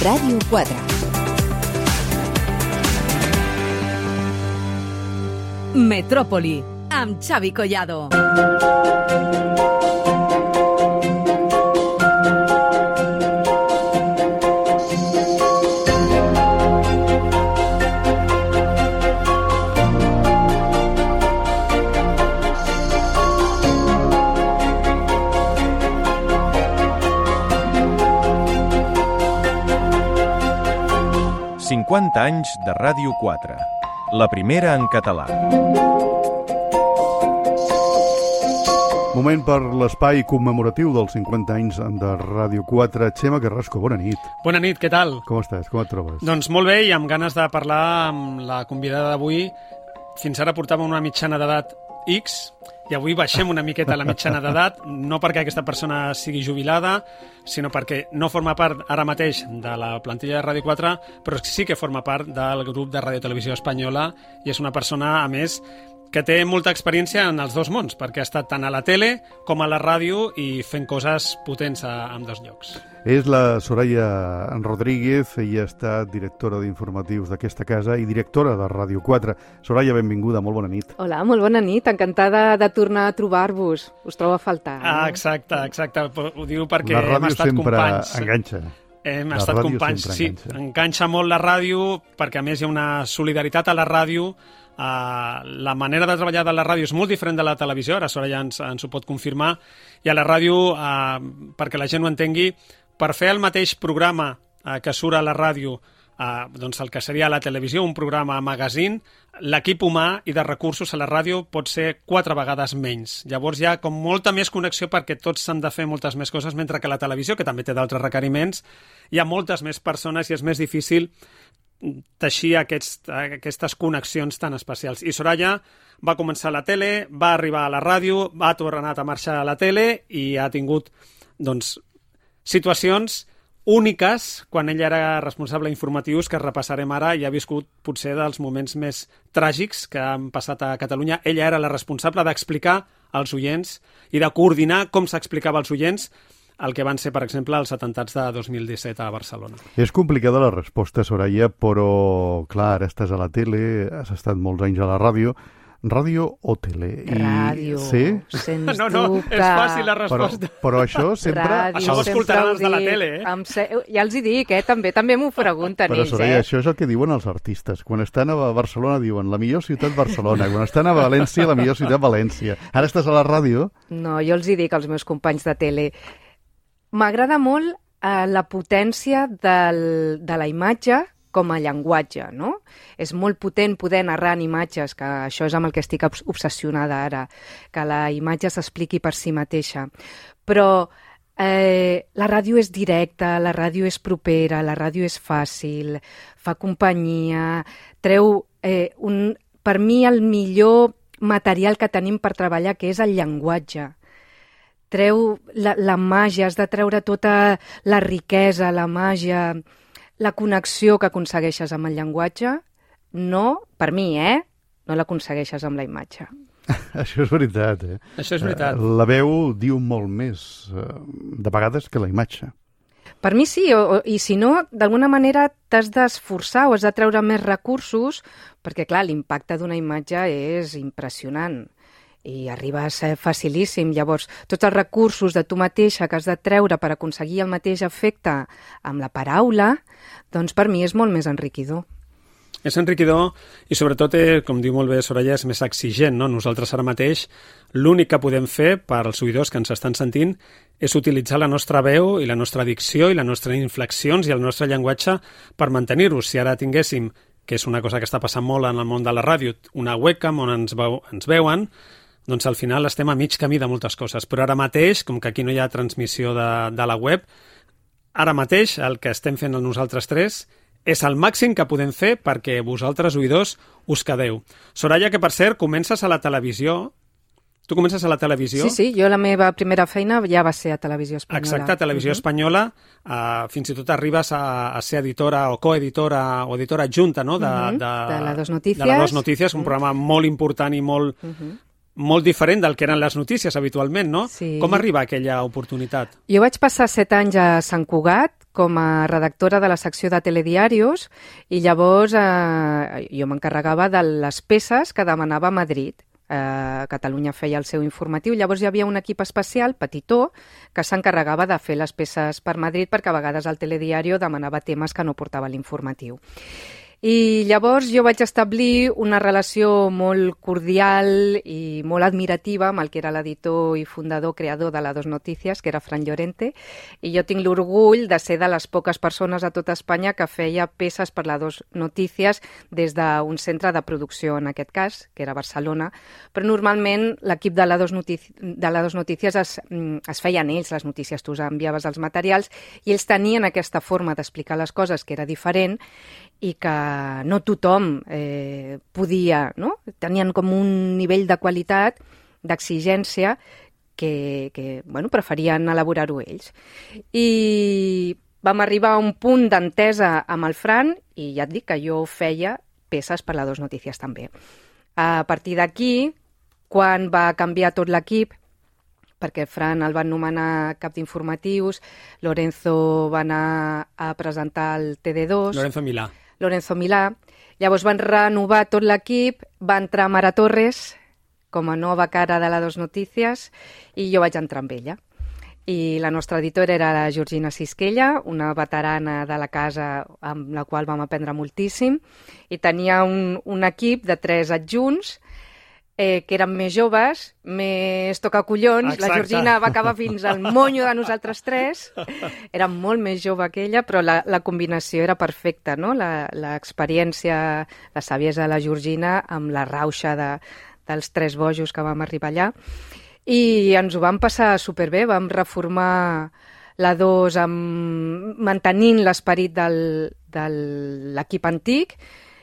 Ràdio 4. Metròpoli, amb Xavi Collado. anys de Ràdio 4, la primera en català. Moment per l'espai commemoratiu dels 50 anys de Ràdio 4. Xema Carrasco, bona nit. Bona nit, què tal? Com estàs? Com et trobes? Doncs molt bé, i amb ganes de parlar amb la convidada d'avui. Fins ara portàvem una mitjana d'edat X, i avui baixem una miqueta la mitjana d'edat, no perquè aquesta persona sigui jubilada, sinó perquè no forma part ara mateix de la plantilla de Ràdio 4, però sí que forma part del grup de Ràdio Televisió Espanyola, i és una persona, a més, que té molta experiència en els dos mons, perquè ha estat tant a la tele com a la ràdio i fent coses potents en dos llocs. És la Soraya Rodríguez, ella ha estat directora d'informatius d'aquesta casa i directora de Ràdio 4. Soraya, benvinguda, molt bona nit. Hola, molt bona nit, encantada de tornar a trobar-vos. Us trobo a faltar. Exacte. Ho diu perquè hem estat companys. La ràdio sempre enganxa. Hem estat companys, sí. Enganxa molt la ràdio, perquè a més hi ha una solidaritat a la ràdio. La manera de treballar de la ràdio és molt diferent de la televisió, ara Soraya ens ho pot confirmar, i a la ràdio, perquè la gent ho entengui, per fer el mateix programa que surt a la ràdio, doncs el que seria a la televisió, un programa magazine, l'equip humà i de recursos a la ràdio pot ser 4 vegades menys. Llavors hi ha com molta més connexió perquè tots s'han de fer moltes més coses, mentre que la televisió, que també té d'altres requeriments, hi ha moltes més persones i és més difícil teixir aquestes connexions tan especials. I Soraya va començar a la tele, va arribar a la ràdio, ha tornat a marxar a la tele i ha tingut situacions úniques quan ella era responsable d'informatius, que repassarem ara, i ha viscut potser dels moments més tràgics que han passat a Catalunya. Ella era la responsable d'explicar als oients i de coordinar com s'explicava als oients el que van ser, per exemple, els atemptats de 2017 a Barcelona. És complicada la resposta, Soraya, però, clar, ara estàs a la tele, has estat molts anys a la ràdio. Ràdio o tele? Ràdio, sí? sens dubte. No, és fàcil la resposta. Però això sempre... Ràdio, això ho escoltaran els de la tele, Ja els hi dic, també m'ho pregunten però, ells. Soraya, això és el que diuen els artistes. Quan estan a Barcelona diuen la millor ciutat Barcelona, quan estan a València la millor ciutat València. Ara estàs a la ràdio? No, jo els hi dic als meus companys de tele. M'agrada molt la potència de la imatge com a llenguatge, no? És molt potent poder narrar en imatges, que això és amb el que estic obsessionada ara, que la imatge s'expliqui per si mateixa. Però la ràdio és directa, la ràdio és propera, la ràdio és fàcil, fa companyia, treu per mi el millor material que tenim per treballar, que és el llenguatge. Treu la màgia, has de treure tota la riquesa, la màgia, la connexió que aconsegueixes amb el llenguatge. No, per mi, no l'aconsegueixes amb la imatge. Això és veritat, Això és veritat. La veu diu molt més, de vegades, que la imatge. Per mi sí, i si no, d'alguna manera t'has d'esforçar o has de treure més recursos, perquè, clar, l'impacte d'una imatge és impressionant i arriba a ser facilíssim. Llavors, tots els recursos de tu mateixa que has de treure per aconseguir el mateix efecte amb la paraula, doncs per mi és molt més enriquidor. És enriquidor i sobretot, com diu molt bé Soraya, és més exigent, no? Nosaltres ara mateix l'únic que podem fer per als oïdors que ens estan sentint és utilitzar la nostra veu i la nostra dicció i les nostres inflexions i el nostre llenguatge per mantenir-los. Si ara tinguéssim, que és una cosa que està passant molt en el món de la ràdio, una webcam on ens veuen, doncs al final estem a mig camí de moltes coses. Però ara mateix, com que aquí no hi ha transmissió de la web, ara mateix el que estem fent nosaltres tres és el màxim que podem fer perquè vosaltres, oïdors, us quedeu. Soraya, que per cert, comences a la televisió. Tu comences a la televisió? Sí, jo la meva primera feina ja va ser a Televisió Espanyola. Exacte, a Televisió Espanyola. Fins i tot arribes a ser editora o coeditora o editora adjunta, no? De la Dos Notícies. De la Dos Notícies, un programa molt important i molt molt diferent del que eren les notícies habitualment, no? Sí. Com arriba aquella oportunitat? Jo vaig passar 7 anys a Sant Cugat com a redactora de la secció de telediarios i llavors jo m'encarregava de les peces que demanava Madrid. Catalunya feia el seu informatiu, llavors hi havia un equip especial, petitó, que s'encarregava de fer les peces per Madrid perquè a vegades el telediario demanava temes que no portava l'informatiu. I llavors jo vaig establir una relació molt cordial i molt admirativa amb el que era l'editor i fundador, creador de la Dos Noticias, que era Fran Llorente, i jo tinc l'orgull de ser de les poques persones a tota Espanya que feia peces per la Dos Noticias des d'un centre de producció, en aquest cas, que era Barcelona, però normalment l'equip de la Dos Noticias es feien ells les notícies, tu enviaves els materials i ells tenien aquesta forma d'explicar les coses que era diferent i que no tothom podia, no? Tenien com un nivell de qualitat, d'exigència, que preferien elaborar-ho ells. I vam arribar a un punt d'entesa amb el Fran i ja et dic que jo feia peces per la Dos Noticias també. A partir d'aquí, quan va canviar tot l'equip, perquè Fran el van nomenar cap d'informatius, Lorenzo va anar a presentar el TD2. Lorenzo Milà. Llavors van renovar tot l'equip, va entrar Mara Torres com a nova cara de la Dos Noticias i jo vaig entrar amb ella. I la nostra editora era la Georgina Sisquella, una veterana de la casa amb la qual vam aprendre moltíssim, i tenia un equip de 3 adjunts que eren més joves, més tocacollons. Exacte. La Georgina va acabar fins al monyo de nosaltres 3. Era molt més jove que ella, però la combinació era perfecta, no? L'experiència, la saviesa de la Georgina amb la rauxa dels 3 bojos que vam arribar allà. I ens ho vam passar superbé, vam reformar la 2 mantenint l'esperit de l'equip antic,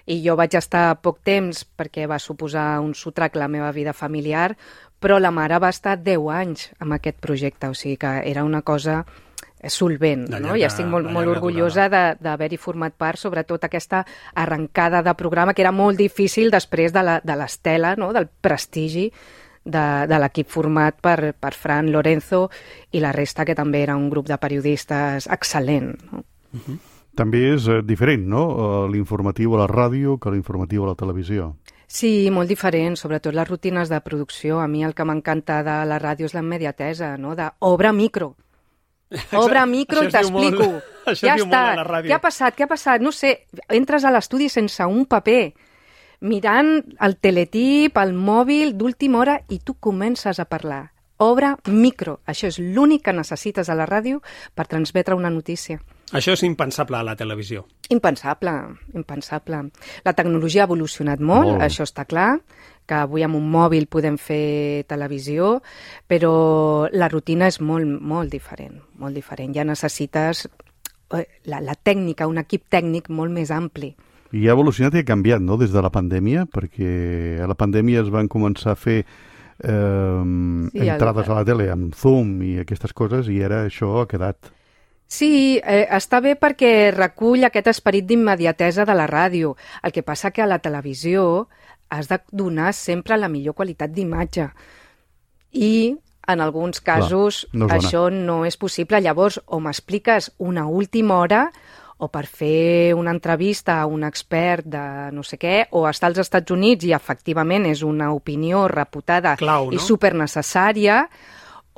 i jo vaig estar poc temps perquè va suposar un sotrac a la meva vida familiar, però la mare va estar 10 anys amb aquest projecte, o sigui que era una cosa solvent, no? I estic molt orgullosa d'haver-hi format part, sobretot aquesta arrencada de programa que era molt difícil després de l'estela, no? Del prestigi de l'equip format per Fran, Lorenzo i la resta, que també era un grup de periodistes excel·lent, no? També és diferent, no?, l'informatiu a la ràdio que l'informatiu a la televisió. Sí, molt diferent, sobretot les rutines de producció. A mi el que m'encanta de la ràdio és la immediatesa, no?, d'obre micro. Obre micro i t'explico. Ja està. Què ha passat? No sé, entres a l'estudi sense un paper, mirant el teletip, el mòbil d'última hora, i tu comences a parlar. Obre micro. Això és l'únic que necessites a la ràdio per transmetre una notícia. Això és impensable a la televisió. Impensable. La tecnologia ha evolucionat molt, això està clar, que avui amb un mòbil podem fer televisió, però la rutina és molt diferent, molt diferent. Ja necessites la tècnica, un equip tècnic molt més ampli. I ha evolucionat i ha canviat, no?, des de la pandèmia, perquè a la pandèmia es van començar a fer entrades a la tele amb Zoom i aquestes coses, i ara això ha quedat... Sí, està bé perquè recull aquest esperit d'immediatesa de la ràdio. El que passa que a la televisió has de donar sempre la millor qualitat d'imatge. I en alguns casos això no és possible. Llavors, o m'expliques una última hora, o per fer una entrevista a un expert de no sé què, o estar als Estats Units i efectivament és una opinió reputada clau, no? I supernecessària,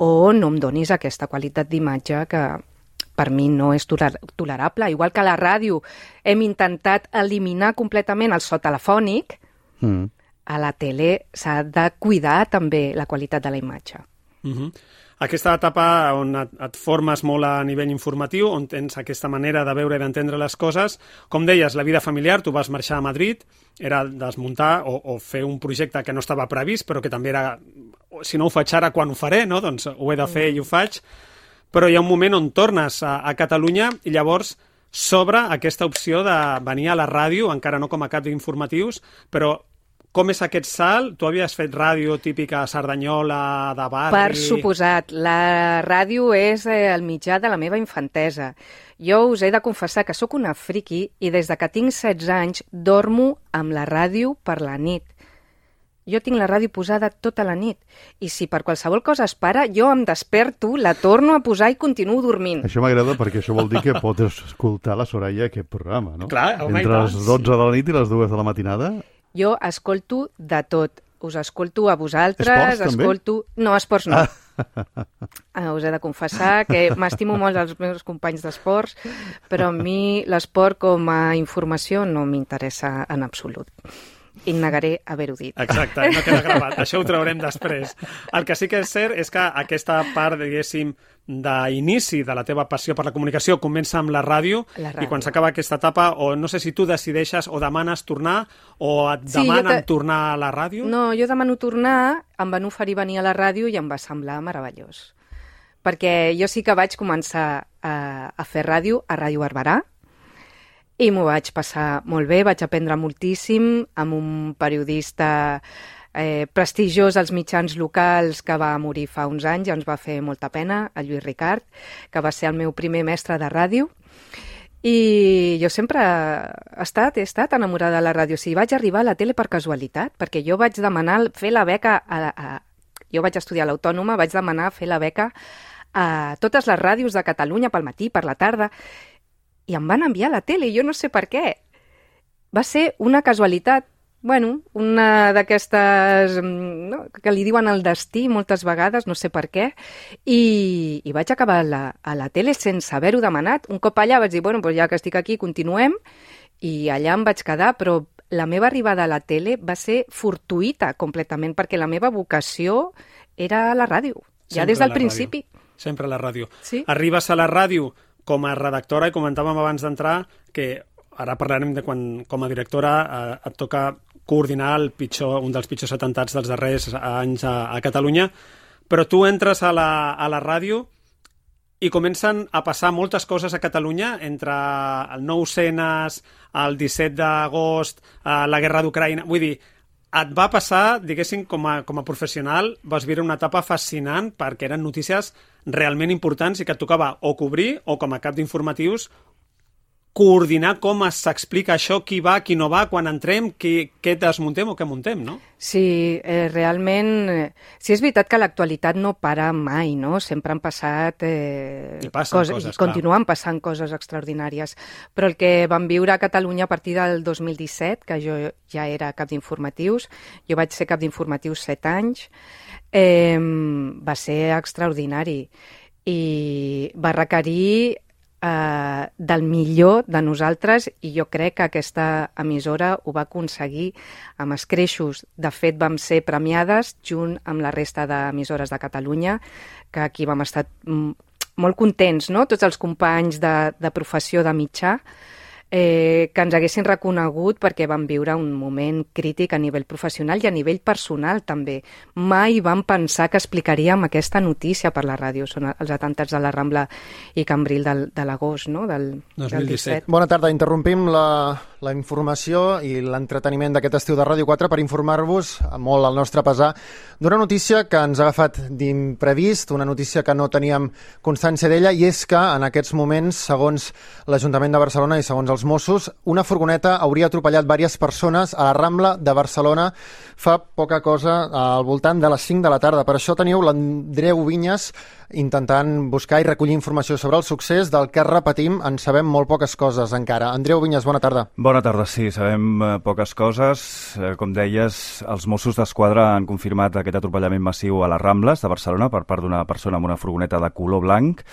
o no em donis aquesta qualitat d'imatge que per mi no és tolerable. Igual que a la ràdio hem intentat eliminar completament el so telefònic, a la tele s'ha de cuidar també la qualitat de la imatge. Aquesta etapa on et formes molt a nivell informatiu, on tens aquesta manera de veure i d'entendre les coses, com deies, la vida familiar, tu vas marxar a Madrid, era desmuntar o fer un projecte que no estava previst, però que també era, si no ho faig ara, quan ho faré, no? Doncs ho he de fer i ho faig. Però hi ha un moment on tornes a Catalunya i llavors s'obre aquesta opció de venir a la ràdio, encara no com a cap d'informatius, però com és aquest salt? Tu havies fet ràdio típica Cerdanyola, de barri... Per suposat. La ràdio és el mitjà de la meva infantesa. Jo us he de confessar que sóc una friqui i des de que tinc 16 anys dormo amb la ràdio per la nit. Jo tinc la ràdio posada tota la nit i si per qualsevol cosa es para, jo em desperto, la torno a posar i continuo dormint. Això m'agrada perquè això vol dir que pots escoltar la Soraya aquest programa, no? Clar, home, entre les 12 de la nit i les 2 de la matinada. Jo escolto de tot. Us escolto a vosaltres. Esports, també? No, esports no. Us he de confessar que m'estimo molt els meus companys d'esports, però a mi l'esport com a informació no m'interessa en absolut. I negaré haver-ho dit. Exacte, no queda gravat. Això ho traurem després. El que sí que és cert és que aquesta part, diguéssim, d'inici de la teva passió per la comunicació comença amb la ràdio. I quan s'acaba aquesta etapa, o no sé si tu decideixes o demanes tornar o et demanen tornar a la ràdio. No, jo demano tornar, em van oferir venir a la ràdio i em va semblar meravellós. Perquè jo sí que vaig començar a fer ràdio a Ràdio Barberà, i m'ho vaig passar molt bé, vaig aprendre moltíssim amb un periodista prestigiós als mitjans locals que va morir fa uns anys i ens va fer molta pena, el Lluís Ricard, que va ser el meu primer mestre de ràdio. I jo sempre he estat enamorada de la ràdio. O sigui, vaig arribar a la tele per casualitat, perquè jo vaig demanar fer la beca, jo vaig estudiar a l'Autònoma, vaig demanar fer la beca a totes les ràdios de Catalunya pel matí, per la tarda, i em van enviar a la tele, i jo no sé per què. Va ser una casualitat, una d'aquestes que li diuen el destí moltes vegades, no sé per què, i vaig acabar a la tele sense haver-ho demanat. Un cop allà vaig dir, ja que estic aquí, continuem, i allà em vaig quedar, però la meva arribada a la tele va ser fortuïta completament, perquè la meva vocació era la ràdio, ja des del principi. Sempre a la ràdio. Sí. Arribes a la ràdio com a redactora, i comentàvem abans d'entrar que ara parlarem de quan com a directora et toca coordinar un dels pitjors atemptats dels darrers anys a Catalunya, però tu entres a la ràdio i comencen a passar moltes coses a Catalunya entre el 9-cenes, el 17 d'agost, la guerra d'Ucraïna. Vull dir, et va passar, diguéssim, com a professional, vas viure una etapa fascinant perquè eren notícies realment importants i que et tocava o cobrir o com a cap d'informatius coordinar com s'explica això, qui va, qui no va, quan entrem, què desmuntem o què muntem, no? Sí, realment, sí és veritat que l'actualitat no para mai, no? Sempre han passat coses, i continuen passant coses extraordinàries, però el que vam viure a Catalunya a partir del 2017, que jo ja era cap d'informatius, jo vaig ser cap d'informatius 7 anys, va ser extraordinari i va requerir del millor de nosaltres, i jo crec que aquesta emissora ho va aconseguir amb escreixos. De fet, vam ser premiades junt amb la resta d'emissores de Catalunya, que aquí vam estar molt contents, no? Tots els companys de professió de mitjà, que ens haguessin reconegut perquè van viure un moment crític a nivell professional i a nivell personal també. Mai vam pensar que explicaríem aquesta notícia per la ràdio. Són els atemptats de la Rambla i Cambril de l'agost, no? Del 17. Bona tarda, interrompim la informació i l'entreteniment d'aquest estiu de Ràdio 4 per informar-vos, molt al nostre pesar, d'una notícia que ens ha agafat d'imprevist, una notícia que no teníem constància d'ella, i és que en aquests moments, segons l'Ajuntament de Barcelona i segons els Mossos, una furgoneta hauria atropellat diverses persones a la Rambla de Barcelona fa poca cosa, al voltant de les 5 de la tarda. Per això teniu l'Andreu Vinyes intentant buscar i recollir informació sobre el succés, del que repetim, en sabem molt poques coses encara. Andreu Vinyes, bona tarda. Bona tarda, sí, sabem poques coses. Com deies, els Mossos d'Esquadra han confirmat aquest atropellament massiu a les Rambles de Barcelona per part d'una persona amb una furgoneta de color blanc.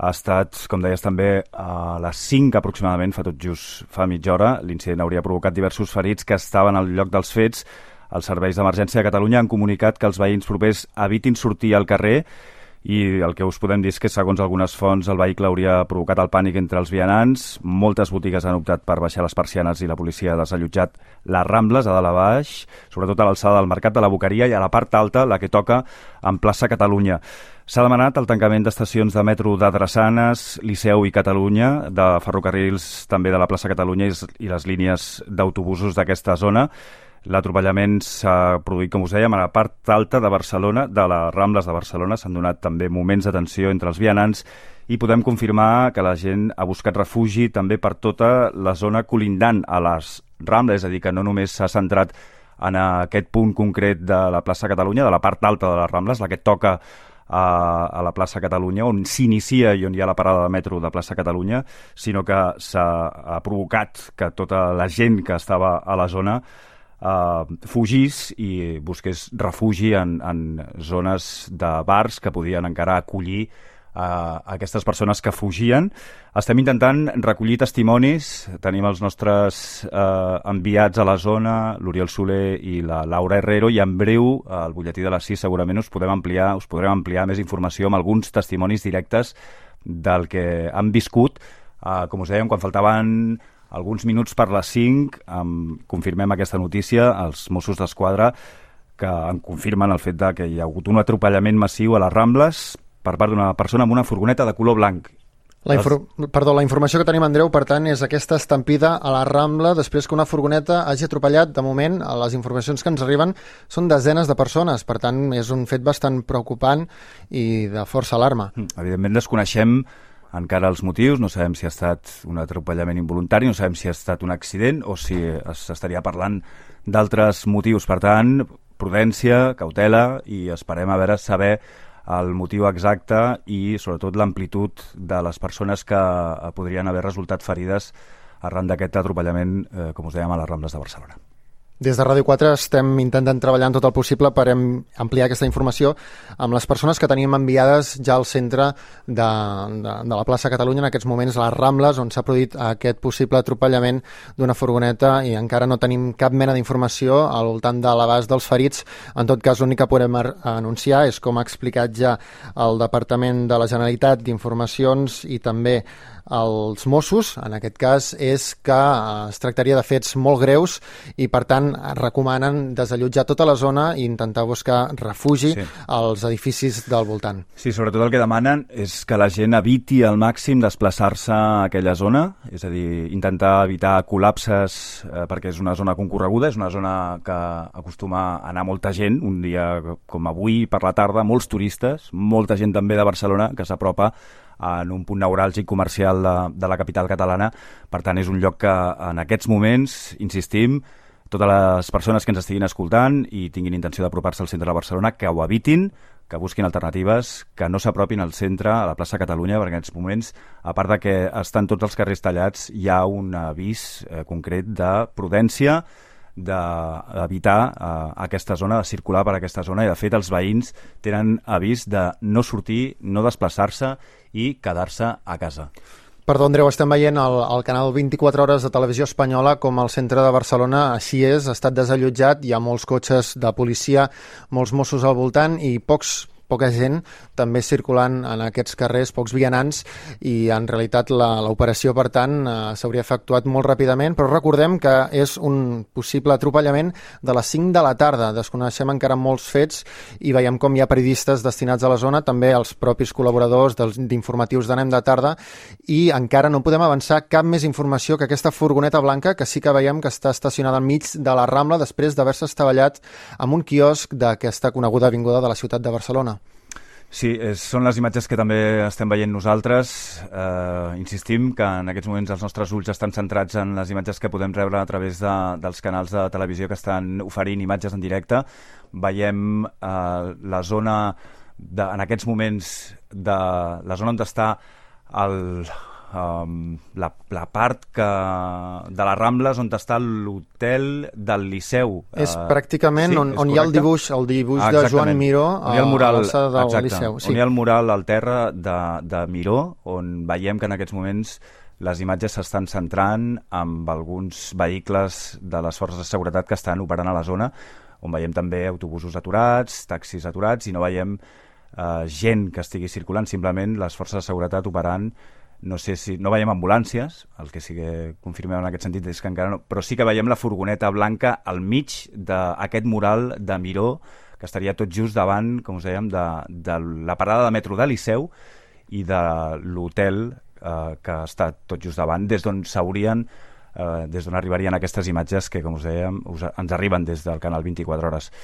Ha estat, com deies també, a les 5 aproximadament, fa tot just fa mitja hora. L'incident hauria provocat diversos ferits que estaven al lloc dels fets. Els serveis d'emergència de Catalunya han comunicat que els veïns propers evitin sortir al carrer, i el que us podem dir és que, segons algunes fonts, el vehicle hauria provocat el pànic entre els vianants. Moltes botigues han optat per baixar les persianes i la policia ha desallotjat les Rambles a dalt a baix, sobretot a l'alçada del Mercat de la Boqueria, i a la part alta, la que toca en plaça Catalunya. S'ha demanat el tancament d'estacions de metro de Drassanes, Liceu i Catalunya, de ferrocarrils també de la plaça Catalunya i les línies d'autobusos d'aquesta zona. L'atropellament s'ha produït, com us dèiem, a la part alta de Barcelona, de les Rambles de Barcelona. S'han donat també moments de tensió entre els vianants i podem confirmar que la gent ha buscat refugi també per tota la zona colindant a les Rambles, és a dir, que no només s'ha centrat en aquest punt concret de la plaça Catalunya, de la part alta de les Rambles, la que toca a la plaça Catalunya, on s'inicia i on hi ha la parada de metro de plaça Catalunya, sinó que s'ha provocat que tota la gent que estava a la zona fugís i busqués refugi en zones de bars que podien encara acollir aquestes persones que fugien. Estem intentant recollir testimonis. Tenim els nostres enviats a la zona, l'Oriol Soler i la Laura Herrero, i en breu, al butlletí de les 6, segurament us podrem ampliar més informació amb alguns testimonis directes del que han viscut. Com us dèiem, quan faltaven alguns minuts per les 5, confirmem aquesta notícia, els Mossos d'Esquadra, que en confirmen el fet de que hi ha hagut un atropellament massiu a les Rambles per part d'una persona amb una furgoneta de color blanc. La informació que tenim, Andreu, per tant, és aquesta estampida a la Rambla després que una furgoneta hagi atropellat. De moment, les informacions que ens arriben són desenes de persones, per tant, és un fet bastant preocupant i de força alarma. Evidentment, desconeixem encara els motius, no sabem si ha estat un atropellament involuntari, no sabem si ha estat un accident o si s'estaria parlant d'altres motius. Per tant, prudència, cautela, i esperem saber el motiu exacte i sobretot l'amplitud de les persones que podrien haver resultat ferides arran d'aquest atropellament, com us dèiem, a les Rambles de Barcelona. Des de Ràdio 4 estem intentant treballar en tot el possible per ampliar aquesta informació amb les persones que tenim enviades ja al centre de la plaça Catalunya, en aquests moments a les Rambles, on s'ha produït aquest possible atropellament d'una furgoneta, i encara no tenim cap mena d'informació al voltant de l'abast dels ferits. En tot cas, l'únic que podem anunciar és, com ha explicat ja el Departament de la Generalitat d'Informacions i també els Mossos, en aquest cas, és que es tractaria de fets molt greus i, per tant, recomanen desallotjar tota la zona i intentar buscar refugi als edificis del voltant. Sí, sobretot el que demanen és que la gent eviti al màxim desplaçar-se a aquella zona, és a dir, intentar evitar col·lapses perquè és una zona concorreguda, és una zona que acostuma a anar molta gent, un dia com avui per la tarda, molts turistes, molta gent també de Barcelona que s'apropa en un punt neuràlgic comercial de la capital catalana. Per tant, és un lloc que en aquests moments, insistim, totes les persones que ens estiguin escoltant i tinguin intenció d'apropar-se al centre de Barcelona, que ho evitin, que busquin alternatives, que no s'apropin al centre, a la plaça Catalunya, perquè en aquests moments, a part de que estan tots els carrers tallats, hi ha un avís concret de prudència, d'evitar aquesta zona, de circular per aquesta zona, i de fet els veïns tenen avís de no sortir, no desplaçar-se i quedar-se a casa. Perdó, Andreu, estem veient al canal 24 hores de Televisió Espanyola com el centre de Barcelona així és, ha estat desallotjat, hi ha molts cotxes de policia, molts Mossos al voltant i poca gent també circulant en aquests carrers, pocs vianants, i en realitat l'operació, per tant, s'hauria efectuat molt ràpidament, però recordem que és un possible atropellament de les 5 de la tarda. Desconeixem encara molts fets i veiem com hi ha periodistes destinats a la zona, també els propis col·laboradors d'informatius d'Anem de Tarda, i encara no podem avançar cap més informació que aquesta furgoneta blanca, que sí que veiem que està estacionada enmig de la Rambla després d'haver-se estavellat amb un quiosc d'aquesta coneguda avinguda de la ciutat de Barcelona. Sí, són les imatges que també estem veient nosaltres. Insistim que en aquests moments els nostres ulls estan centrats en les imatges que podem rebre a través dels canals de televisió que estan oferint imatges en directe. Veiem la zona, en aquests moments, la zona on està la part de les Rambles on està l'hotel del Liceu. És pràcticament on hi ha el dibuix de Joan Miró a l'alçada del Liceu. On hi ha el mural al terra de Miró, on veiem que en aquests moments les imatges s'estan centrant amb alguns vehicles de les forces de seguretat que estan operant a la zona, on veiem també autobusos aturats, taxis aturats, i no veiem gent que estigui circulant, simplement les forces de seguretat operant. No veiem ambulàncies, el que sí que confirmem en aquest sentit és que encara no, però sí que veiem la furgoneta blanca al mig d'aquest mural de Miró, que estaria tot just davant, com us dèiem, de la parada de metro de Liceu i de l'hotel que està tot just davant, des d'on arribarien aquestes imatges que, com us dèiem, ens arriben des del canal 24 hores.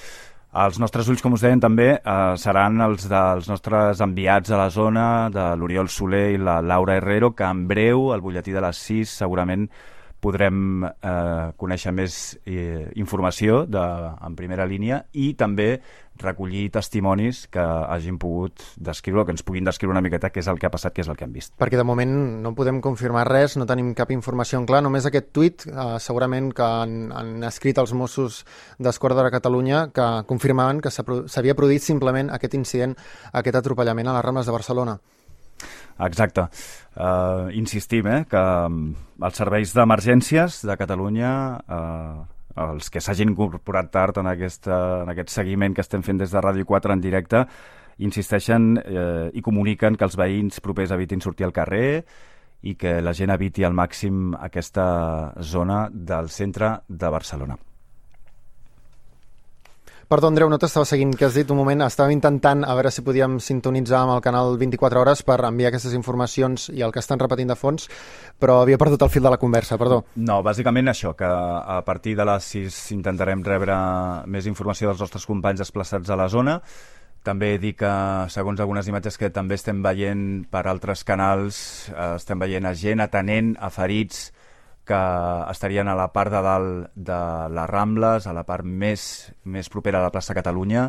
Els nostres ulls, com us deien, també seran els dels nostres enviats a la zona, de l'Oriol Soler i la Laura Herrero, que en breu, al butlletí de les 6, segurament podrem conèixer més informació en primera línia i també recollir testimonis que hagin pogut descriure, que ens puguin descriure una miqueta què és el que ha passat, què és el que han vist. Perquè de moment no podem confirmar res, no tenim cap informació en clar, només aquest tuit, segurament que han escrit els Mossos d'Esquadra de Catalunya, que confirmaven que s'havia produït simplement aquest incident, aquest atropellament a les Rambles de Barcelona. Exacte. Insistim que els serveis d'emergències de Catalunya, els que s'hagin incorporat tard en aquest seguiment que estem fent des de Ràdio 4 en directe, insisteixen i comuniquen que els veïns propers evitin sortir al carrer i que la gent eviti al màxim aquesta zona del centre de Barcelona. Perdó, Andreu, no t'estava seguint, que has dit un moment, estàvem intentant a veure si podíem sintonitzar amb el canal 24 hores per enviar aquestes informacions i el que estan repetint de fons, però havia perdut el fil de la conversa, perdó. No, bàsicament això, que a partir de les 6 intentarem rebre més informació dels nostres companys desplaçats a la zona. També dir que, segons algunes imatges que també estem veient per altres canals, estem veient a gent atenent a ferits que estarien a la part de dalt de les Rambles, a la part més propera a la plaça Catalunya.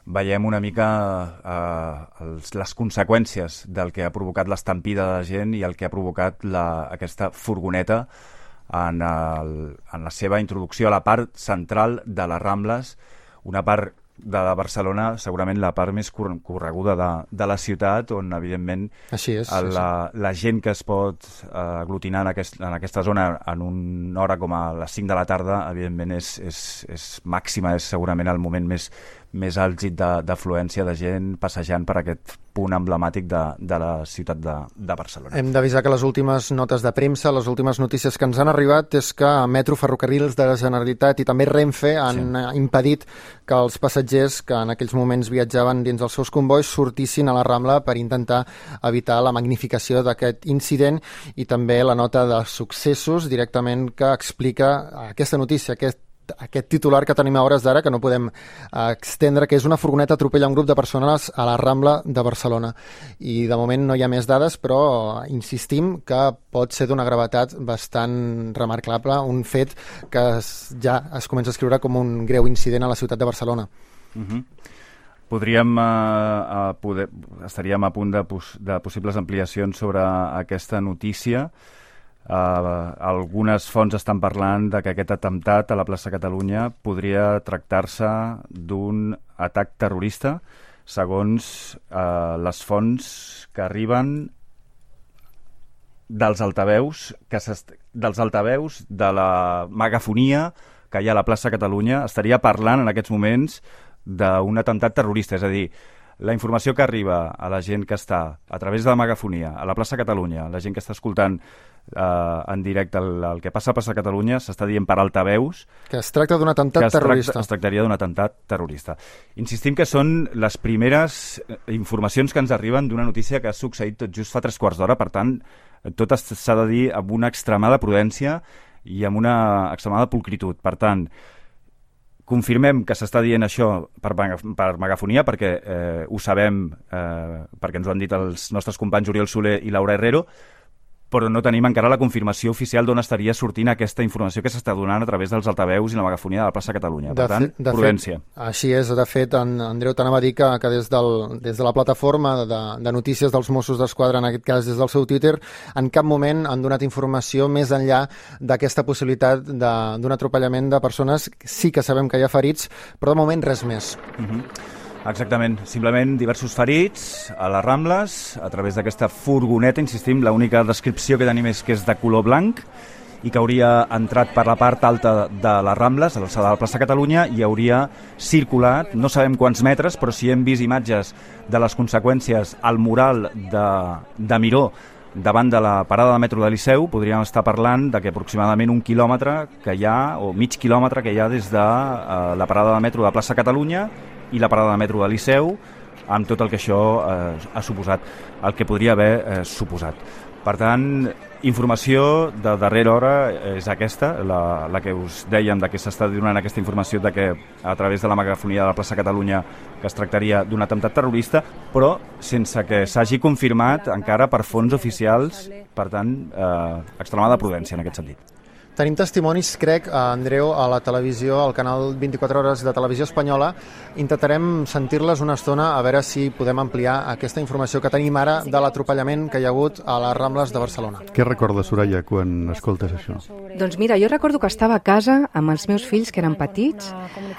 Veiem una mica les conseqüències del que ha provocat l'estampida de la gent i el que ha provocat aquesta furgoneta en la seva introducció a la part central de les Rambles, una part de Barcelona, segurament la part més correguda de la ciutat, on evidentment la gent que es pot aglutinar en aquesta zona en una hora com a les 5 de la tarda, evidentment és màxima, és segurament el moment més àlgid d'afluència de gent passejant per aquest punt emblemàtic de la ciutat de Barcelona. Hem d'avisar que les últimes notes de premsa, les últimes notícies que ens han arribat és que Metro, Ferrocarrils de la Generalitat i també Renfe han impedit que els passatgers que en aquells moments viatjaven dins els seus convois sortissin a la Rambla per intentar evitar la magnificació d'aquest incident, i també la nota de successos directament que explica aquesta notícia, aquest titular que tenim a hores d'ara, que no podem extendre, que és una furgoneta atropella un grup de persones a la Rambla de Barcelona. I de moment no hi ha més dades, però insistim que pot ser d'una gravetat bastant remarcable, un fet que ja es comença a escriure com un greu incident a la ciutat de Barcelona. Estaríem a punt de possibles ampliacions sobre aquesta notícia. Algunes fonts estan parlant de que aquest atemptat a la plaça Catalunya podria tractar-se d'un atac terrorista, segons les fonts que arriben dels altaveus de la megafonia que hi ha a la plaça Catalunya. Estaria parlant en aquests moments d'un atemptat terrorista, és a dir, la informació que arriba a la gent que està a través de la megafonia a la plaça Catalunya, la gent que està escoltant en directe el que passa a plaça Catalunya, s'està dient per altaveus que es tracta d'un atemptat terrorista. Es tractaria d'un atemptat terrorista. Insistim que són les primeres informacions que ens arriben d'una notícia que ha succeït tot just fa 3/4 d'hora, per tant, tot s'ha de dir amb una extremada prudència i amb una extremada pulcritud. Per tant, confirmem que s'està dient això per megafonia, perquè ho sabem, perquè ens ho han dit els nostres companys Oriol Soler i Laura Herrero, però no tenim encara la confirmació oficial d'on estaria sortint aquesta informació que s'està donant a través dels altaveus i la megafonia de la plaça Catalunya. Per tant, prudència. Així és. De fet, Andreu, t'anava a dir que des de la plataforma de notícies dels Mossos d'Esquadra, en aquest cas des del seu Twitter, en cap moment han donat informació més enllà d'aquesta possibilitat d'un atropellament de persones. Sí que sabem que hi ha ferits, però de moment res més. Exactament, simplement diversos ferits a les Rambles a través d'aquesta furgoneta, insistim, l'única descripció que tenim és que és de color blanc i que hauria entrat per la part alta de les Rambles, a l'alçada de la plaça Catalunya, i hauria circulat, no sabem quants metres, però si hem vist imatges de les conseqüències al mural de Miró davant de la parada de metro de Liceu, podríem estar parlant de que aproximadament 1 quilòmetre que hi ha, o mig quilòmetre que hi ha des de la parada de metro de plaça Catalunya i la parada de metro de Liceu, amb tot el que això ha suposat, el que podria haver suposat. Per tant, informació de darrera hora és aquesta, la que us dèiem de que s'està donant aquesta informació de que a través de la megafonia de la plaça Catalunya que es tractaria d'un atemptat terrorista, però sense que s'hagi confirmat encara per fonts oficials, per tant, extremada prudència en aquest sentit. Tenim testimonis, crec, Andreu, a la televisió, al canal 24 Hores de Televisió Espanyola. Intentarem sentir-les una estona a veure si podem ampliar aquesta informació que tenim ara de l'atropellament que hi ha hagut a les Rambles de Barcelona. Què recordes, Soraya, quan escoltes això? Doncs mira, jo recordo que estava a casa amb els meus fills, que eren petits.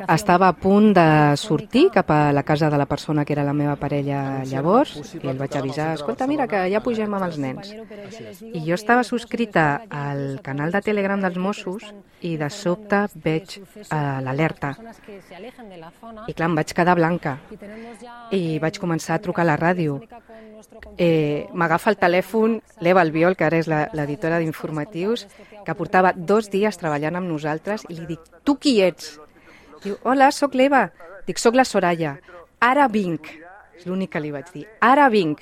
Estava a punt de sortir cap a la casa de la persona que era la meva parella llavors, i el vaig avisar, escolta, mira, que ja pugem amb els nens. I jo estava subscrita al canal de Telegram dels Mossos i de sobte veig l'alerta. I clar, em vaig quedar blanca i vaig començar a trucar a la ràdio. M'agafa el telèfon l'Eva Albiol, que ara és l'editora d'informatius, que portava 2 dies treballant amb nosaltres, i li dic, tu qui ets? Diu, hola, sóc l'Eva. Dic, sóc la Soraya. Ara vinc. És l'únic que li vaig dir. Ara vinc.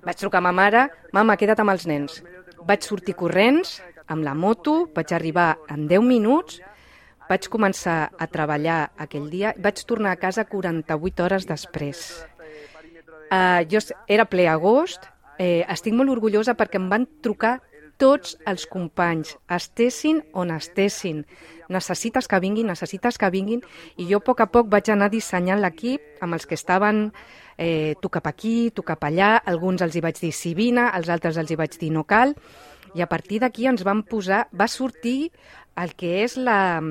Vaig trucar a ma mare, mama, queda't amb els nens. Vaig sortir corrents amb la moto, vaig arribar en 10 minuts, vaig començar a treballar aquell dia, vaig tornar a casa 48 hores després. Jo era ple agost, estic molt orgullosa perquè em van trucar tots els companys, estessin on estessin. Necessites que vinguin, i jo a poc vaig anar dissenyant l'equip amb els que estaven tu cap aquí, tu cap allà, alguns els hi vaig dir sí vine, als altres els hi vaig dir no cal, i a partir d'aquí ens vam posar, va sortir el que és la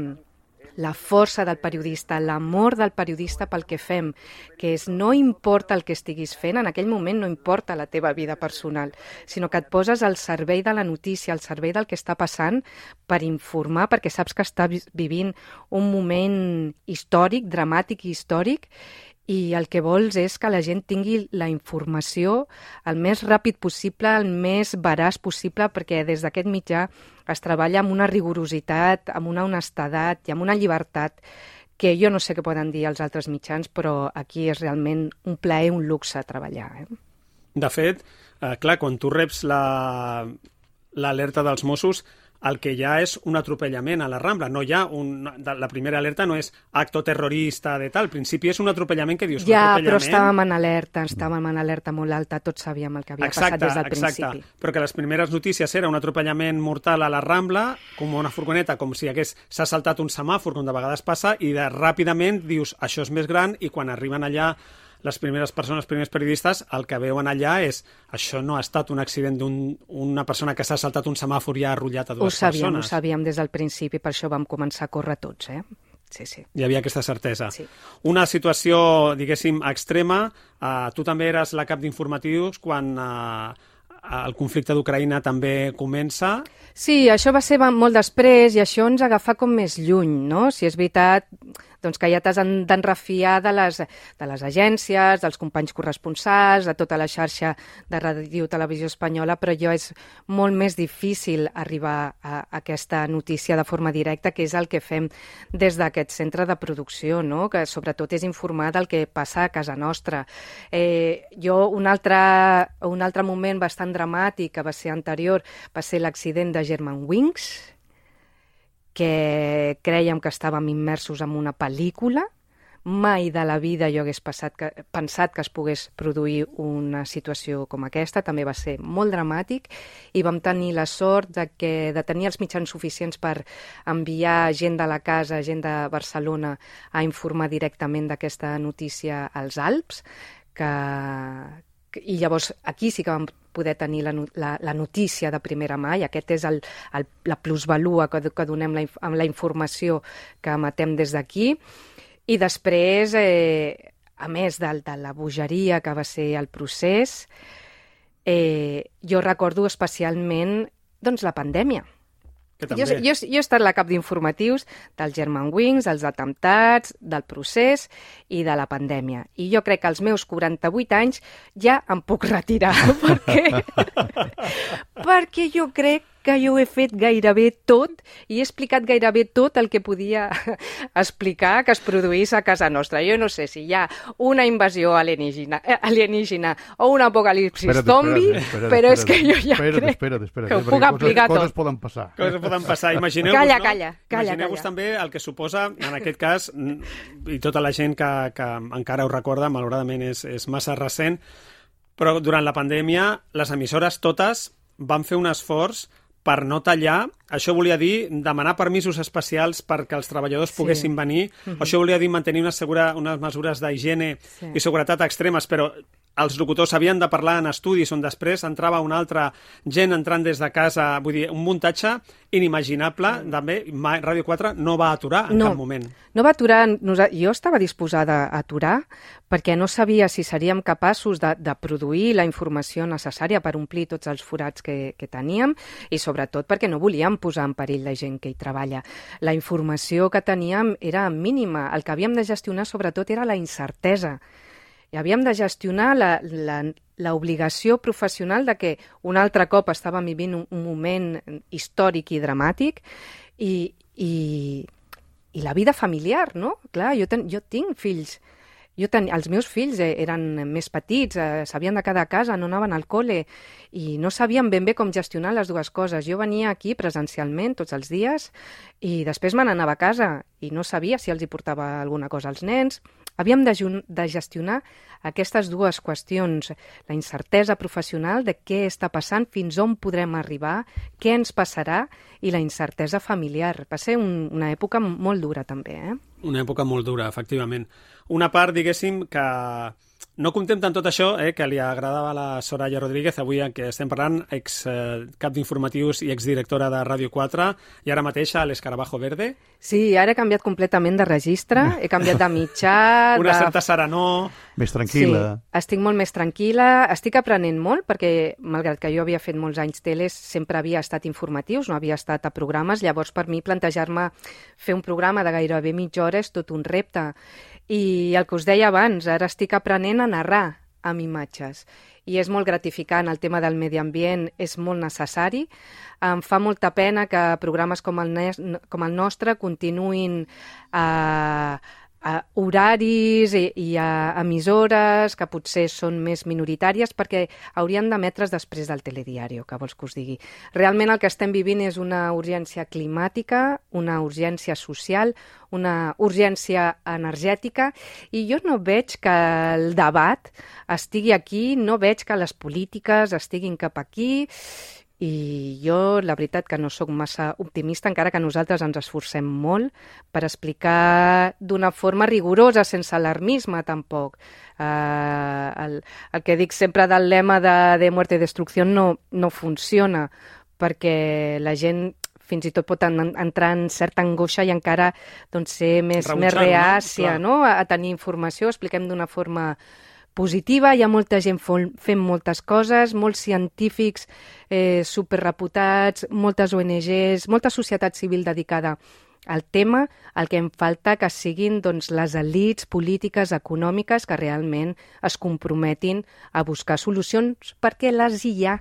força del periodista, l'amor del periodista pel que fem, que és no importa el que estiguis fent, en aquell moment no importa la teva vida personal, sinó que et poses al servei de la notícia, al servei del que està passant per informar, perquè saps que estàs vivint un moment històric, dramàtic i històric, i el que vols és que la gent tingui la informació el més ràpid possible, el més veraç possible, perquè des d'aquest mitjà es treballa amb una rigorositat, amb una honestedat i amb una llibertat que jo no sé què poden dir els altres mitjans, però aquí és realment un plaer, un luxe treballar. De fet, clar, quan tu reps l'alerta dels Mossos, el que hi ha és un atropellament a la Rambla. No hi ha la primera alerta no és acto terrorista de tal. Al principi és un atropellament que dius... Ja, però estàvem en alerta molt alta, tots sabíem el que havia passat des del principi. Però que les primeres notícies era un atropellament mortal a la Rambla, com una furgoneta, com si s'ha saltat un semàfor, com de vegades passa, i ràpidament dius, això és més gran, i quan arriben allà les primeres persones, els primers periodistes, el que veuen allà és això no ha estat un accident d'una persona que s'ha saltat un semàfor i ha arrullat a dues persones. Ho sabíem des del principi, per això vam començar a córrer tots, Sí. Hi havia aquesta certesa. Sí. Una situació, diguéssim, extrema. Tu també eres la cap d'informatius quan el conflicte d'Ucraïna també comença. Sí, això va ser molt després i això ens agafa com més lluny, no? Si és veritat, doncs que ja t'has d'enrefiar de les agències, dels companys corresponsals, de tota la xarxa de Ràdio Televisió Espanyola, però és molt més difícil arribar a aquesta notícia de forma directa, que és el que fem des d'aquest centre de producció, no? Que sobretot és informar del que passa a casa nostra. Un altre moment bastant dramàtic, que va ser anterior, va ser l'accident de Germanwings, que crèiem que estàvem immersos en una pel·lícula. Mai de la vida jo hagués pensat que es pogués produir una situació com aquesta. També va ser molt dramàtic i vam tenir la sort de tenir els mitjans suficients per enviar gent de la casa, gent de Barcelona, a informar directament d'aquesta notícia als Alps, i llavors aquí sí que vam poder tenir la notícia de primera mà, i aquest és la plusvalua que donem amb la informació que emetem des d'aquí. I després, a més de la bogeria que va ser el procés, jo recordo especialment la pandèmia. Jo he estat la cap d'informatius dels Germanwings, dels atemptats, del procés i de la pandèmia. I jo crec que als meus 48 anys ja em puc retirar, perquè jo crec que jo ho he fet gairebé tot i he explicat gairebé tot el que podia explicar que es produís a casa nostra. Jo no sé si hi ha una invasió alienígena o un apocalipsis zombi, però és que jo ja crec que ho puc aplicar tot. Coses poden passar. Imagineu-vos també el que suposa, en aquest cas, i tota la gent que encara ho recorda, malauradament és massa recent, però durant la pandèmia les emissores totes van fer un esforç per no tallar. Això volia dir demanar permisos especials perquè els treballadors poguessin venir. Això volia dir mantenir unes mesures d'higiene i seguretat extremes, però els locutors havien de parlar en estudis on després entrava una altra gent entrant des de casa, vull dir, un muntatge inimaginable. També Ràdio 4 no va aturar en cap moment. No va aturar. Jo estava disposada a aturar perquè no sabia si seríem capaços de produir la informació necessària per omplir tots els forats que teníem i sobretot perquè no volíem posar en perill la gent que hi treballa. La informació que teníem era mínima. El que havíem de gestionar sobretot era la incertesa. I havíem de gestionar l'obligació professional de que un altre cop estàvem vivint un moment històric i dramàtic i la vida familiar, no? Clar, jo tinc fills. Els meus fills eren més petits, s'havien de quedar a casa, no anaven al col·le i no sabien ben bé com gestionar les dues coses. Jo venia aquí presencialment tots els dies i després me n'anava a casa i no sabia si els hi portava alguna cosa als nens. Havíem de gestionar aquestes dues qüestions, la incertesa professional de què està passant, fins on podrem arribar, què ens passarà, i la incertesa familiar. Va ser una època molt dura, també, Una època molt dura, efectivament. Una part, diguéssim, que no contem tant tot això, que li agradava a la Soraya Rodríguez, avui en què estem parlant, ex-cap d'informatius i exdirectora de Ràdio 4, i ara mateix a l'Escarabajo Verde. Sí, ara he canviat completament de registre, he canviat de mitjà... Una certa serenor... Més tranquil·la. Sí, estic molt més tranquil·la, estic aprenent molt, perquè, malgrat que jo havia fet molts anys teles, sempre havia estat informatius, no havia estat a programes, llavors per mi plantejar-me fer un programa de gairebé mitja hora és tot un repte. I el que us deia abans, ara estic aprenent a narrar amb imatges i és molt gratificant. El tema del medi ambient és molt necessari. Em fa molta pena que programes com el nostre continuïn a horaris i a emissores que potser són més minoritàries perquè haurien d'emetre's després del telediario, que vols que us digui. Realment el que estem vivint és una urgència climàtica, una urgència social, una urgència energètica i jo no veig que el debat estigui aquí, no veig que les polítiques estiguin cap aquí i jo, la veritat, que no sóc massa optimista, encara que nosaltres ens esforcem molt per explicar d'una forma rigorosa, sense alarmisme, tampoc. El que dic sempre del lema de muerte y destrucción no funciona, perquè la gent fins i tot pot entrar en certa angoixa i encara ser més reàcia, no? A tenir informació, expliquem d'una forma positiva, hi ha molta gent fent moltes coses, molts científics superreputats, moltes ONGs, molta societat civil dedicada al tema. El que em falta que siguin les elits polítiques, econòmiques, que realment es comprometin a buscar solucions, perquè les hi ha.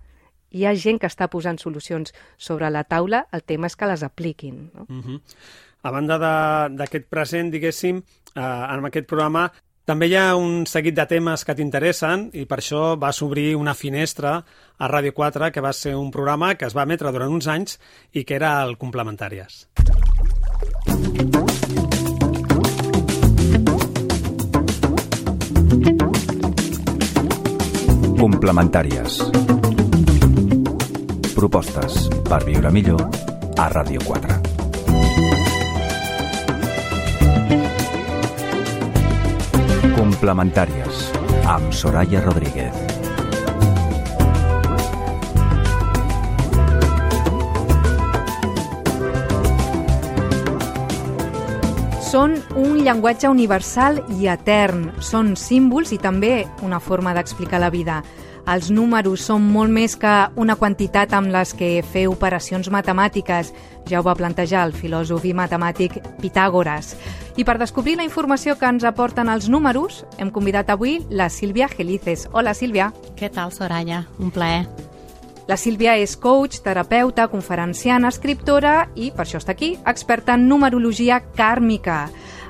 Hi ha gent que està posant solucions sobre la taula, el tema és que les apliquin. No? A banda d'aquest present, diguéssim, en aquest programa, també hi ha un seguit de temes que t'interessen i per això vas obrir una finestra a Ràdio 4, que va ser un programa que es va emetre durant uns anys i que era el Complementàries. Complementàries. Propostes per viure millor a Ràdio 4. Complementàries, amb Soraya Rodríguez. Són un llenguatge universal i etern. Són símbols i també una forma d'explicar la vida. Els números són molt més que una quantitat amb les que fer operacions matemàtiques. Ja ho va plantejar el filòsof i matemàtic Pitàgores. I per descobrir la informació que ens aporten els números, hem convidat avui la Sílvia Gelices. Hola, Sílvia. Què tal, Soraya? Un plaer. La Sílvia és coach, terapeuta, conferenciana, escriptora i, per això està aquí, experta en numerologia kàrmica.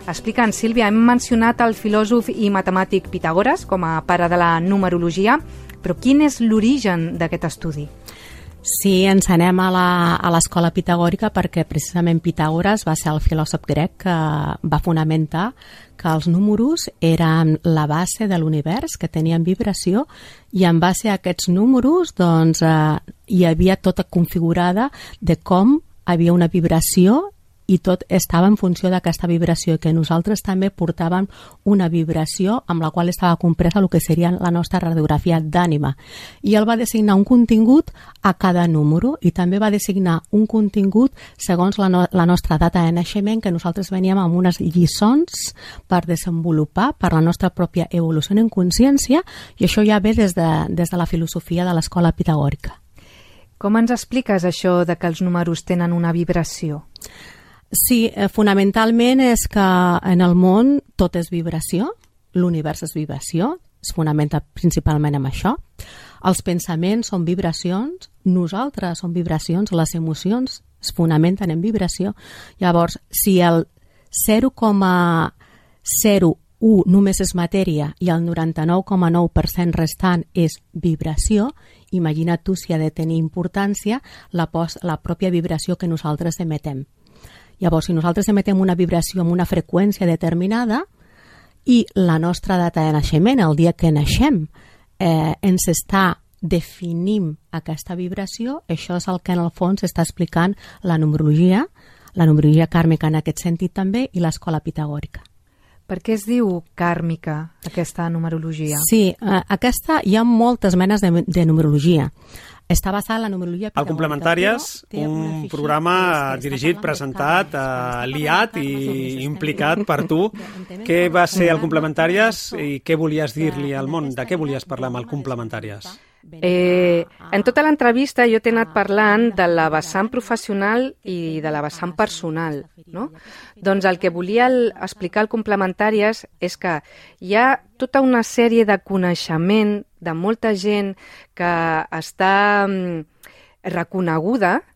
Explica'ns, Sílvia, hem mencionat el filòsof i matemàtic Pitàgores com a pare de la numerologia, però quin és l'origen d'aquest estudi? Sí, ens anem a l'escola pitagòrica perquè precisament Pitàgores va ser el filòsof grec que va fonamentar que els números eren la base de l'univers, que tenien vibració, i en base a aquests números doncs, hi havia tota configurada de com havia una vibració i tot estava en funció d'aquesta vibració, que nosaltres també portàvem una vibració amb la qual estava compresa el que seria la nostra radiografia d'ànima. I ell va designar un contingut a cada número i també va designar un contingut segons la nostra data de naixement, que nosaltres veníem amb unes lliçons per desenvolupar per la nostra pròpia evolució en consciència, i això ja ve des de la filosofia de l'escola pitagòrica. Com ens expliques això de que els números tenen una vibració? Sí, fonamentalment és que en el món tot és vibració, l'univers és vibració, es fonamenta principalment en això. Els pensaments són vibracions, nosaltres som vibracions, les emocions es fonamenten en vibració. Llavors, si el 0,01 només és matèria i el 99,9% restant és vibració, imagina't tu si ha de tenir importància la pròpia vibració que nosaltres emetem. Llavors, si nosaltres emetem una vibració amb una freqüència determinada i la nostra data de naixement, el dia que naixem, ens està definint aquesta vibració, això és el que en el fons està explicant la numerologia kàrmica en aquest sentit també, i l'escola pitagòrica. Per què es diu kàrmica, aquesta numerologia? Sí, hi ha moltes menes de numerologia. Està basada en la numerologia pitagòrica. El Complementàries, un programa dirigit, presentat, liat i implicat per tu. Què va ser el Complementàries i què volies dir-li al món? De què volies parlar amb el Complementàries? En tota l'entrevista jo t'he anat parlant de la vessant professional i de la vessant personal, no? Doncs el que volia explicar al Complementàries és que hi ha tota una sèrie de coneixement de molta gent que està reconeguda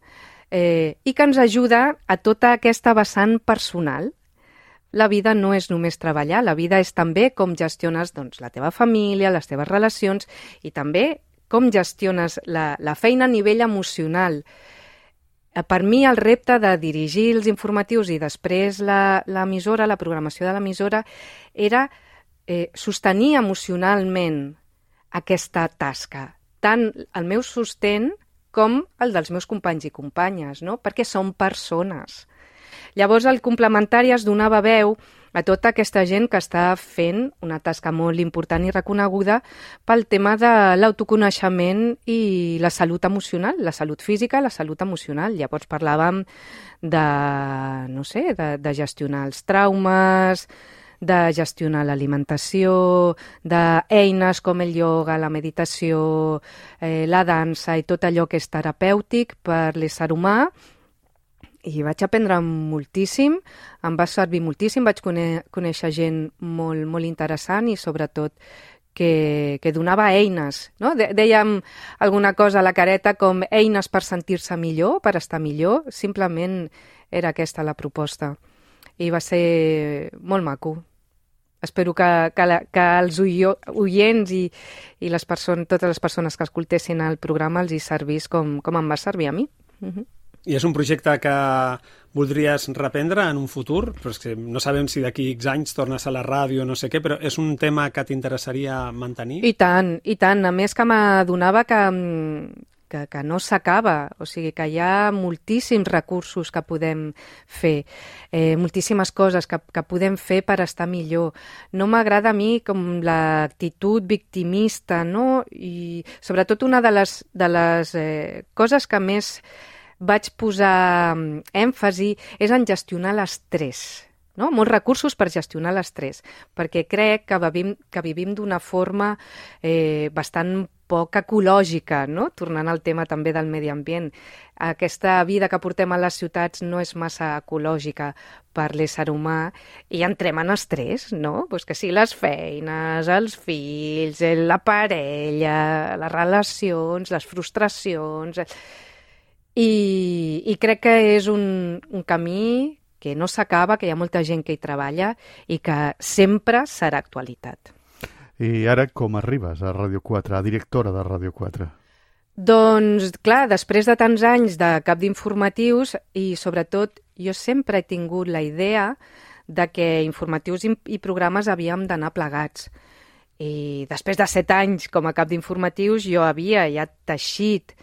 i que ens ajuda a tota aquesta vessant personal. La vida no és només treballar, la vida és també com gestiones la teva família, les teves relacions i també com gestiones la feina a nivell emocional. Per mi el repte de dirigir els informatius i després l'emissora, la programació de l'emissora, era sostenir emocionalment aquesta tasca, tant el meu sostén com el dels meus companys i companyes, no? Perquè són persones. Llavors el Complementari es donava veu a tota aquesta gent que està fent una tasca molt important i reconeguda pel tema de l'autoconeixement i la salut emocional, la salut física i la salut emocional. Llavors parlàvem de gestionar els traumes, de gestionar l'alimentació, d'eines com el ioga, la meditació, la dansa i tot allò que és terapèutic per l'ésser humà. I vaig aprendre moltíssim, em va servir moltíssim, vaig conèixer gent molt, molt interessant i sobretot que donava eines, no? Dèiem alguna cosa a la careta com eines per sentir-se millor, per estar millor, simplement era aquesta la proposta. I va ser molt maco. Espero que els oients i totes les persones que escoltessin el programa els hi servís com em va servir a mi. I és un projecte que voldries reprendre en un futur? Però és que no sabem si d'aquí X anys tornes a la ràdio o no sé què, però és un tema que t'interessaria mantenir? I tant. A més que m'adonava que no s'acaba, o sigui que hi ha moltíssims recursos que podem fer, moltíssimes coses que podem fer per estar millor. No m'agrada a mi com l'actitud victimista, no? I sobretot una de les coses que més vaig posar èmfasi és en gestionar l'estrès, no? Molts recursos per gestionar l'estrès, perquè crec que vivim d'una forma bastant poc ecològica, no? Tornant al tema també del medi ambient. Aquesta vida que portem a les ciutats no és massa ecològica per l'ésser humà i entrem en estrès, no? Pues que sí, les feines, els fills, la parella, les relacions, les frustracions... I crec que és un camí que no s'acaba, que hi ha molta gent que hi treballa i que sempre serà actualitat. I ara com arribes a Ràdio 4, a directora de Ràdio 4? Doncs, clar, després de tants anys de cap d'informatius i, sobretot, jo sempre he tingut la idea de que informatius i programes havíem d'anar plegats. I després de 7 anys com a cap d'informatius jo havia ja teixit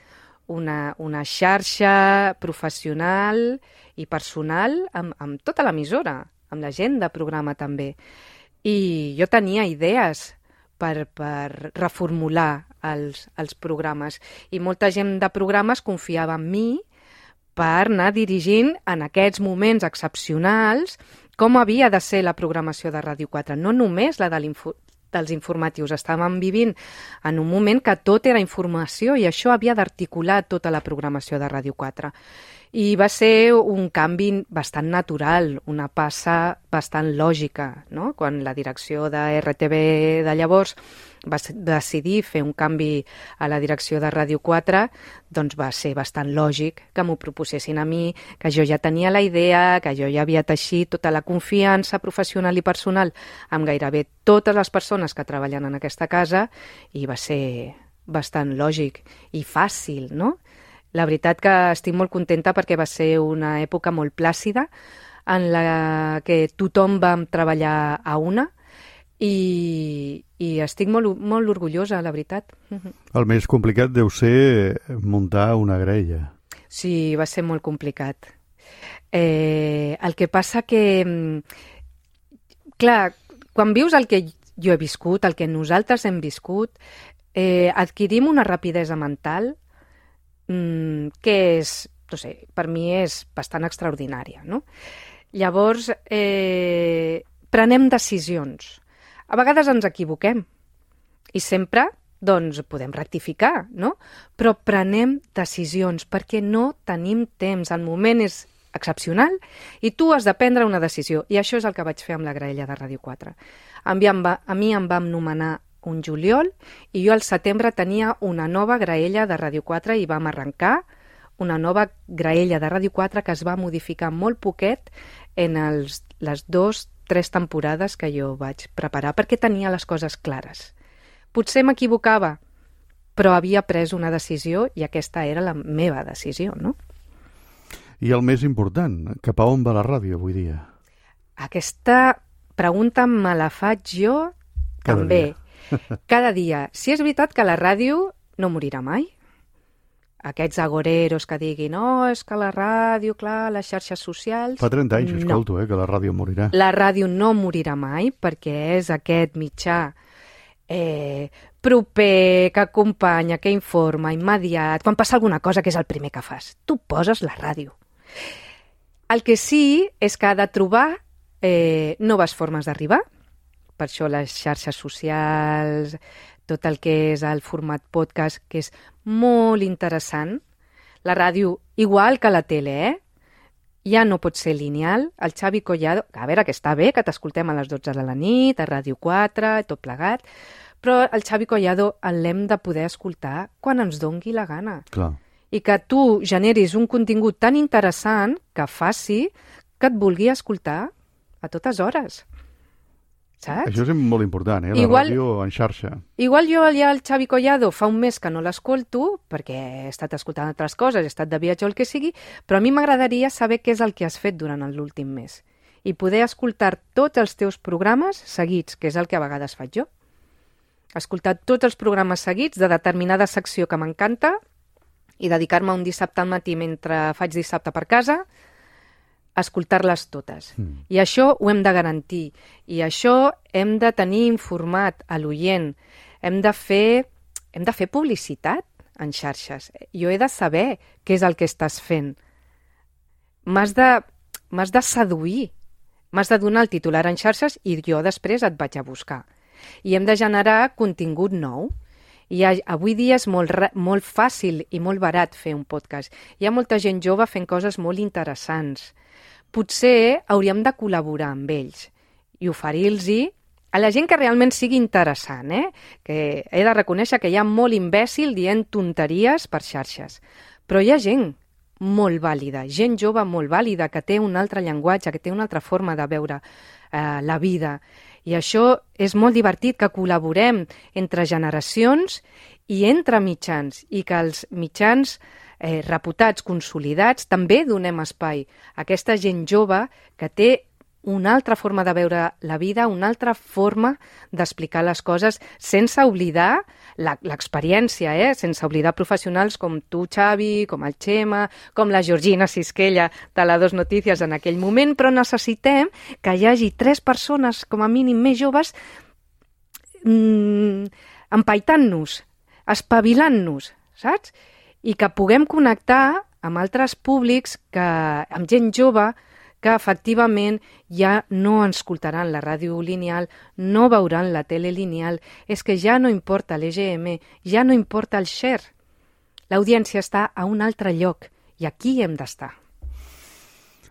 una xarxa professional i personal amb tota l'emissora, amb la gent de programa també. I jo tenia idees per reformular els programes. I molta gent de programes confiava en mi per anar dirigint en aquests moments excepcionals com havia de ser la programació de Ràdio 4. No només la dels informatius. Estàvem vivint en un moment que tot era informació i això havia d'articular tota la programació de Ràdio 4. I va ser un canvi bastant natural, una passa bastant lògica, no? Quan la direcció de RTV de llavors va decidir fer un canvi a la direcció de Ràdio 4, doncs va ser bastant lògic que m'ho proposessin a mi, que jo ja tenia la idea, que jo ja havia teixit tota la confiança professional i personal amb gairebé totes les persones que treballen en aquesta casa i va ser bastant lògic i fàcil, no? La veritat que estic molt contenta perquè va ser una època molt plàcida en la que tothom vam treballar a una i estic molt orgullosa, la veritat. El més complicat deu ser muntar una graella. Sí, va ser molt complicat. El que passa que, clar, quan vius el que jo he viscut, el que nosaltres hem viscut, adquirim una rapidesa mental que és, no sé, per mi és bastant extraordinària, no? Llavors, prenem decisions. A vegades ens equivoquem i sempre, doncs, podem rectificar, no? Però prenem decisions perquè no tenim temps. El moment és excepcional i tu has de prendre una decisió. I això és el que vaig fer amb la graella de Ràdio 4. A mi em vam nomenar un juliol i jo al setembre tenia una nova graella de Ràdio 4 i vam arrencar una nova graella de Ràdio 4 que es va modificar molt poquet en les 2-3 temporades que jo vaig preparar perquè tenia les coses clares. Potser m'equivocava, però havia pres una decisió i aquesta era la meva decisió, no? I el més important, cap a on va la ràdio avui dia? Aquesta pregunta me la faig jo també. Cada dia. Si és veritat que la ràdio no morirà mai. Aquests agoreros que diguin és que la ràdio, clar, les xarxes socials... Fa 30 anys, escolto, que la ràdio morirà. La ràdio no morirà mai perquè és aquest mitjà proper, que acompanya, que informa, immediat. Quan passa alguna cosa, que és el primer que fas? Tu poses la ràdio. El que sí és que ha de trobar noves formes d'arribar. Per això les xarxes socials, tot el que és el format podcast, que és molt interessant. La ràdio, igual que la tele, ja no pot ser lineal. El Xavi Collado, a veure, que està bé, que t'escoltem a les 12 de la nit, a Ràdio 4, tot plegat, però el Xavi Collado l'hem de poder escoltar quan ens dongui la gana. Clar. I que tu generis un contingut tan interessant que faci que et vulgui escoltar a totes hores. Saps? Això és molt important, la ràdio en xarxa. Igual jo ja el Xavi Collado fa un mes que no l'escolto, perquè he estat escoltant altres coses, he estat de viatge o el que sigui, però a mi m'agradaria saber què és el que has fet durant l'últim mes. I poder escoltar tots els teus programes seguits, que és el que a vegades faig jo. Escoltar tots els programes seguits de determinada secció que m'encanta i dedicar-me un dissabte al matí mentre faig dissabte per casa, escoltar-les totes. I això ho hem de garantir. I això hem de tenir informat a l'oient. Hem de fer publicitat en xarxes. Jo he de saber què és el que estàs fent. M'has de seduir. M'has de donar el titular en xarxes i jo després et vaig a buscar. I hem de generar contingut nou. I avui dia és molt fàcil i molt barat fer un podcast. Hi ha molta gent jove fent coses molt interessants. Potser hauríem de col·laborar amb ells i oferir-los a la gent que realment sigui interessant, que he de reconèixer que hi ha molt imbècil dient tonteries per xarxes. Però hi ha gent molt vàlida, gent jove molt vàlida, que té un altre llenguatge, que té una altra forma de veure la vida. I això és molt divertit, que col·laborem entre generacions i entre mitjans, i que els mitjans reputats, consolidats, també donem espai a aquesta gent jove que té una altra forma de veure la vida, una altra forma d'explicar les coses, sense oblidar l'experiència, sense oblidar professionals com tu, Xavi, com el Xema, com la Georgina Sisquella de la Dos Notícies en aquell moment, però necessitem que hi hagi 3 persones, com a mínim més joves, empaitant-nos, espavilant-nos, saps? I que puguem connectar amb altres públics, amb gent jove, que efectivament ja no ens escoltaran la ràdio lineal, no veuran la tele lineal, és que ja no importa l'EGM, ja no importa el share. L'audiència està a un altre lloc i aquí hem d'estar.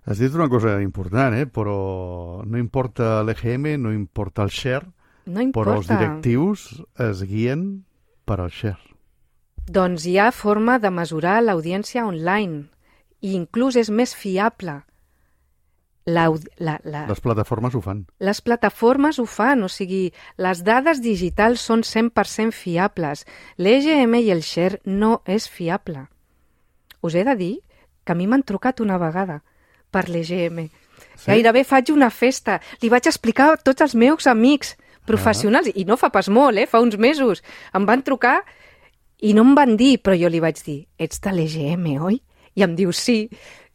Has dit una cosa important, però no importa l'EGM, no importa el share, no importa. Però els directius es guien per al share. Doncs hi ha forma de mesurar l'audiència online i inclús és més fiable. Les plataformes ho fan. Les plataformes ho fan, o sigui, les dades digitals són 100% fiables. L'EGM i el share no és fiable. Us he de dir que a mi m'han trucat una vegada per l'EGM. Sí? Gairebé faig una festa. Li vaig explicar a tots els meus amics professionals, i no fa pas molt, fa uns mesos. Em van trucar i no em van dir, però jo li vaig dir, ets de l'EGM, oi? I em diu, sí.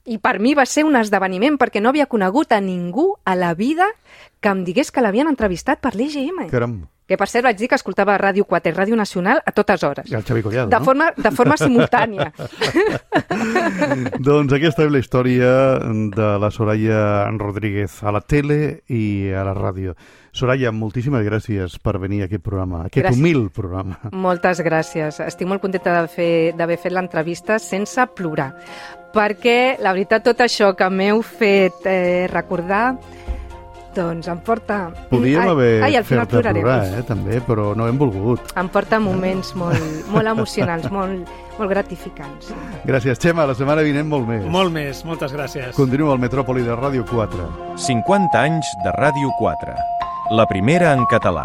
I per mi va ser un esdeveniment perquè no havia conegut a ningú a la vida que em digués que l'havien entrevistat per l'EGM. Caram. Que per cert vaig dir que escoltava Ràdio 4 i Ràdio Nacional a totes hores. I el Xavi Collado, de forma simultània. Doncs aquesta és la història de la Soraya Rodríguez a la tele i a la ràdio. Soraya, moltíssimes gràcies per venir a aquest programa, humil programa. Moltes gràcies. Estic molt contenta d'haver fet l'entrevista sense plorar, perquè la veritat tot això que m'heu fet recordar, doncs em porta... Podíem haver fet-te plorar, també, però no hem volgut. Em porta moments molt emocionants, molt gratificants. Gràcies, Xema. La setmana vinent molt més. Molt més, moltes gràcies. Continua al Metròpoli de Ràdio 4. 50 anys de Ràdio 4. La primera en català.